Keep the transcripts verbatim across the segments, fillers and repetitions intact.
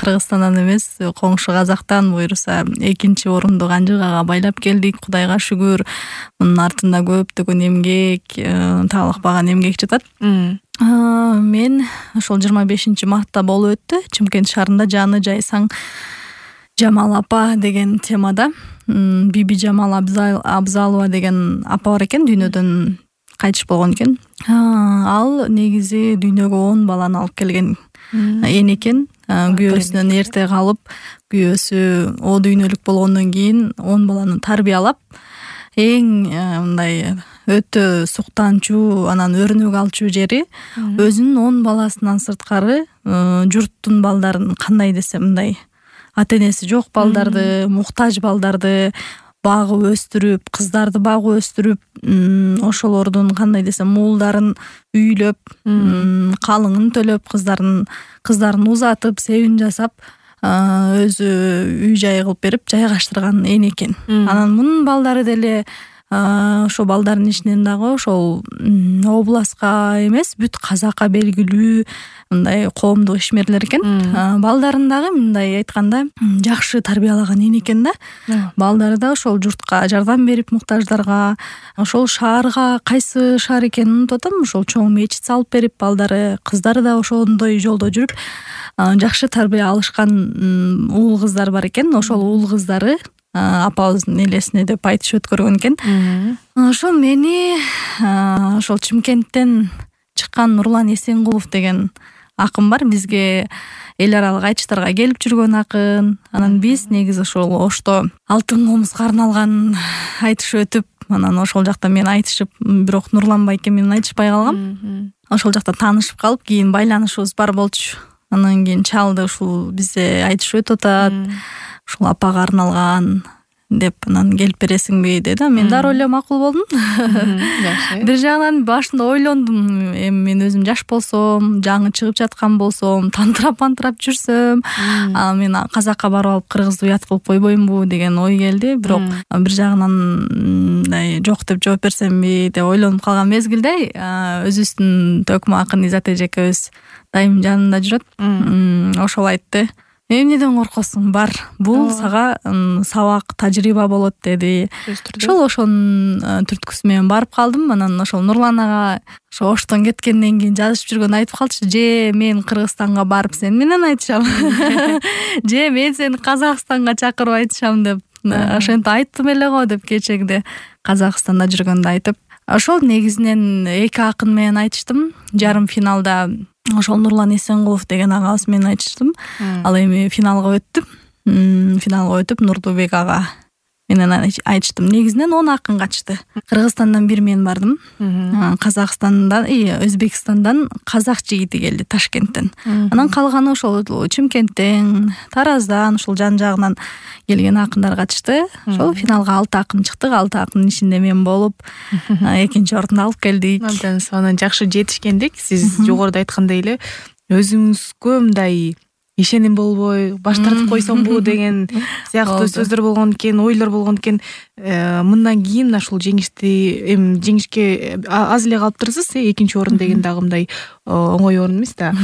Кыргызстандан эмес, коңшу Казактан буюрса экинчи орунду Канжыгага байлап келдик. Кудайга шүгүр. Мунун артында көптөгөн эмгек, таалыкпаган эмгек жатат. Мен ошол жыйырма бешинчи мартта болуп өттү. Чымкент шаарында жаны жайсаң Жамал апа деген темада. Биби Жамал Абзалова деген апа бар экен, дүйнөдөн кайтыш болгон экен. Ал негизи дүйнөгө он баланы алып келген эн экен. Күйөөсүнөн эрте калып, күйөөсү о дүйнөлүк болгондон кийин он баланы тарбиялап, эң мындай өтө суктанчуу, анан өрнөк алчу жери өзүнүн он баласынан сырткары журттун балдарын кандай десем мындай ата-энеси жок балдарды, муктаж балдарды багып өстүрүп, кыздарды багып өстүрүп, ошолордун кандай десем уулдарын үйлөп, калыңын төлөп, кыздарын кыздарын узатып, себин жасап, өзү үй жай кылып берип жайгаштырган эн экен. Анан мунун балдары деле ошо балдардын ичинен дагы ошол областка эмес, бүт Казакка белгилүү мындай коомдук ишмерлер экен. Балдарын дагы мындай айтканда жакшы тарбиялаган эн экен да. Балдары да ошол журтка жардам берип, муктаждарга, ошол шаарга, кайсы шаар экенин унутуп атам, ошол чоң мечит салып берип, балдары, кыздары да ошондой жолдо жүрүп, жакшы тарбия алышкан уул кыздар бар экен. Ошол уул кыздары апабыздын элесине деп айтыш өткөргөн экен. Ошо мени ошол Чымкенттен чыккан Нурлан Эсенгулов деген акын бар. Бизге эл аралык айтыштарга келип жүргөн акын. Анан биз негизи ошол Ошто алтын комузга арналган айтыш өтүп, анан ошол жакта мен айтышып, бирок Нурлан байке менен айтышпай калгам. Ошол жакта таанышып калып, кийин байланышыбыз бар болчу. Анан кийин чалды, ушул бизде айтыш өтүп атат. Ушул апага арналган деп, анан келип бересиңби деди. Мен дароо эле макул болдум. Бир жагынан башында ойлондум, эми мен өзүм жаш болсом, жаңы чыгып жаткан болсом, тантырап-антырап жүрсөм, анан мен Казакка барып алып кыргызды уят кылып койбоймунбу деген ой келди. Бирок бир жагынан мындай жок деп жооп берсемби деп ойлонуп калган мезгилде өзүбүздүн Төкмө акын Изат эжекебиз дайым жанында жүрөт. Ошол айтты: эмнеден коркосуң, бар, бул сага сабак, тажрыйба болот деди. Ошол ошонун түрткүсү менен барып калдым. Анан ошол Нурлан ага ошо Оштон кеткенден кийин жазышып жүргөн айтып калчу: же мен Кыргызстанга барып сени менен айтышам, же мен сени Казакстанга чакырып айтышам деп. Ошентип айттым эле го деп кечегиде Казакстанда жүргөндө айтып. Ошол негизинен эки акын менен айтыштым. Жарым финалда ошол Нурлан Эсенгулов деген агабыз менен айтыштым. Ал эми финалга өттү. Финалга өтүп Нурдубек ага менен айтыштым. Негизинен он акын катышты. Кыргызстандан бир мен бардым. Казакстандан, Өзбекстандан казак жигити келди, Ташкенттен. Анан калганы ошол Чымкенттен, Тараздан, ушул жан жагынан келген акындар катышты. Ошол финалга алты акын чыктык. алты акынын ичинде мен болуп, экинчи орунду алып келдик. Абдан сонун жакшы жетишкендик. Сиз жогоруда айткандай эле өзүңүзгө мындай ишеним болбой баш тартып койсомбу деген сыяктуу сөздөр болгон экен, ойлор болгон экен. Мындан кийин ушул жеңишти эми жеңишке аз эле калыптырсыз. Экинчи орун деген дагы мындай оңой орун эмес да.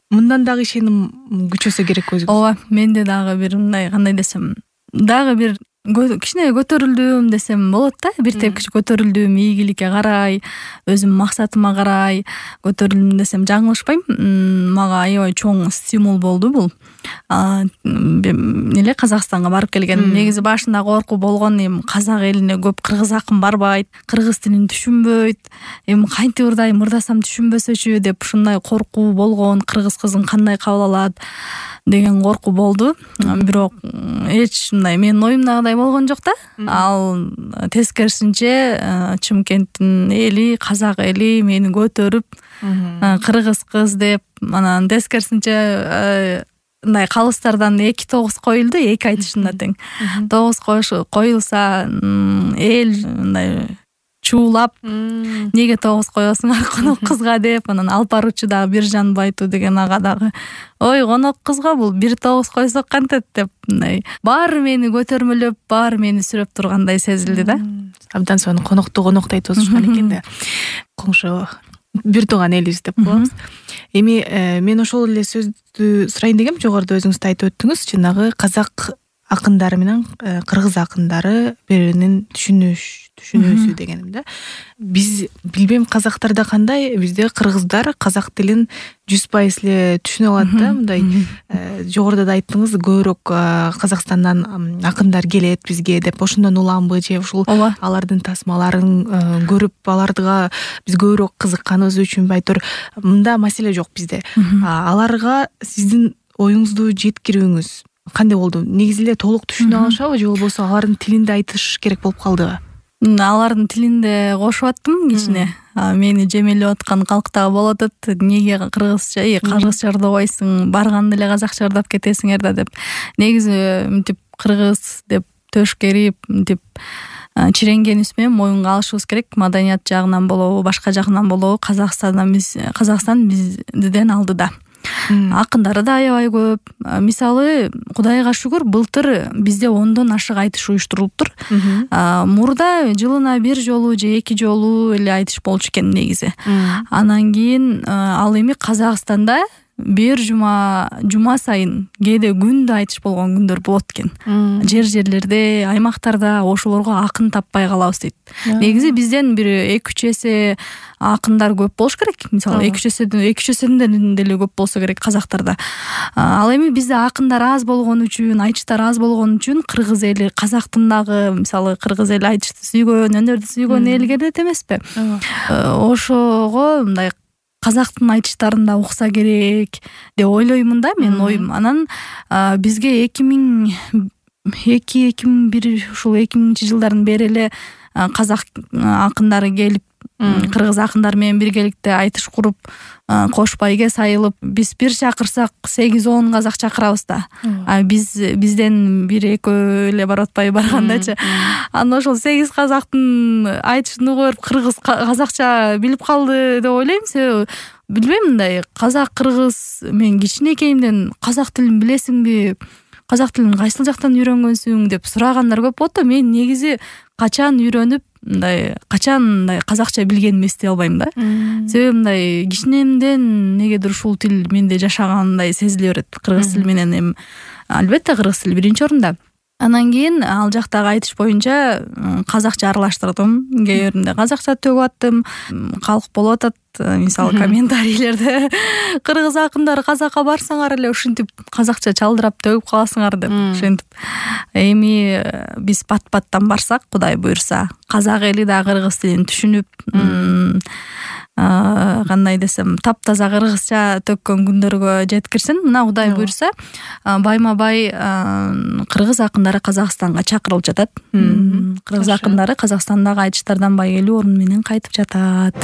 Мындан дагы ишеним күчөсө керек өзүңүз. Ооба, менде дагы бир мындай кандай десем, дагы бир кичине көтөрүлдүм десем болот да. Бир тепкич көтөрүлдүм, ийгиликке карай, өзүм максатыма карай көтөрүлдүм десем жаңылышпайм. Мага аябай чоң стимул болду бул. Эле Казакстанга барып келгеним. Негизи башында коркуу болгон, эми казак элине көп кыргыз акын барбайт, кыргыз тилин түшүнбөйт, эми кантип ырдайм, ырдасам түшүнбөсөчү деп ушундай коркуу болгон. Кыргыз кызын кандай кабыл алат деген коркуу болду. Бирок эч мындай менин оюмдагыдай болгон жок да. Ал тескерисинче Чымкенттин эли, казак эли мени көтөрүп, кыргыз кыз деп, анан тескерисинче мындай калыстардан эки тогуз коюлду, эки айтышында тең. Тогуз коюлса эл мындай чуулап, неге тогуз коесуңар конок кызга деп, анан алып баруучу дагы Биржан Байту деген ага дагы: ой, конок кызга бул бир тогуз койсок кантет деп, мындай баары мени көтөрмөлөп, баары мени сүрөп тургандай сезилди да. Абдан сонун конокту коноктой тосушкан экен да. Коңшу бир тууган элибиз деп коебуз. Эми мен ошол эле сөздү сурайын дегем. Жогоруда өзүңүз да айтып өттүңүз, жанагы казак акындары менен кыргыз акындары бири биринин түшүнүш түшүнүүсү дегеним да. Биз билбейм казактарда кандай, бизде кыргыздар казак тилин жүз пайыз эле түшүнө алат да. Мындай жогоруда да айттыңыз, көбүрөөк Казакстандан акындар келет бизге деп, ошондон уламбы же ушул алардын тасмаларын көрүп аларга биз көбүрөөк кызыкканыбыз үчүнбү, айтор мында маселе жок бизде. Аларга сиздин оюңузду жеткирүүңүз кандай болду? Негизи эле толук түшүнө алышабы же болбосо алардын тилинде айтыш керек болуп калдыбы? Алардын тилинде кошуп аттым кичине. Мени жемелеп аткан калктагы болот атат. Неге кыргызча, э кыргызча ырдабайсың, барганда эле казакча ырдап кетесиңер да деп. Негизи мынтип кыргыз деп төшкерип, мынтип чиренгенибиз менен моюнга алышыбыз керек. Маданият жагынан болобу, башка жагынан болобу, Казакстандан биз Казакстан бизден алдыда. Акындары да аябай көп. Мисалы, Кудайга шүгүр, былтыр бизде ондон ашык айтыш уюштурулуптур. Мурда жылына бир жолу же эки жолу эле айтыш болчу экен негизи. Анан кийин ал эми Казакстанда бир жума жума сайын, кээде күндө айтыш болгон күндөр болот экен. Жер жерлерде, аймактарда ошолорго акын таппай калабыз дейт. Негизи бизден бир эки үч эсе акындар көп болуш керек. Мисалы эки үч эседен эки үч эседен деле көп болсо керек казактарда. Ал эми бизде акындар аз болгон үчүн, айтыштар аз болгон үчүн кыргыз эли, казактын дагы мисалы кыргыз эли айтышты сүйгөн, өнөрдү сүйгөн эл келет эмеспи? Ошого мындай казактын айтыштарында укса керек деп ойлоймун да, менин оюм. Анан бизге эки миң эки эки миң бир ушул эки миңинчи жылдардан бери эле казак акындары келип, кыргыз акындар менен биргеликте айтыш куруп, кош байге сайылып, биз бир чакырсак сегиз он казак чакырабыз да. А биз бизден бир экөө эле барып атпай баргандачы. Анан ошол сегиз казактын айтышын угуп, кыргыз казакча билип калды деп ойлойм. Себеби билбейм, мындай казак кыргыз, мен кичинекейимден казак тилин билесиңби, казак тилин кайсыл жактан үйрөнгөнсүң деп сурагандар көп болот да. Мен негизи качан үйрөнүп, мындай качан мындай казакча билгеними эстей албайм да. Себеби мындай кичинемден негедир ушул тил менде жашагандай сезиле берет. Кыргыз тили менен эми албетте кыргыз тили биринчи орунда. Анан кийин ал жактагы айтыш боюнча казакча аралаштырдым. Кээ биринде казакча төгүп аттым. Калк болуп атат, мисалы комментарийлерде кыргыз акындары казакка барсаңар эле ушинтип казакча чалдырап төгүп каласыңар деп. Ошентип эми биз пат-паттан барсак, Кудай буйрса, казак эли да кыргыз тилин түшүнүп, кандай десем, таптаза кыргызча төккөн күндөргө жеткирсин. Мына Кудай буйрса, байма-бай кыргыз акындары Казакстанга чакырылып жатат. Кыргыз акындары Казакстандагы айтыштардан байгелүү орун менен кайтып жатат.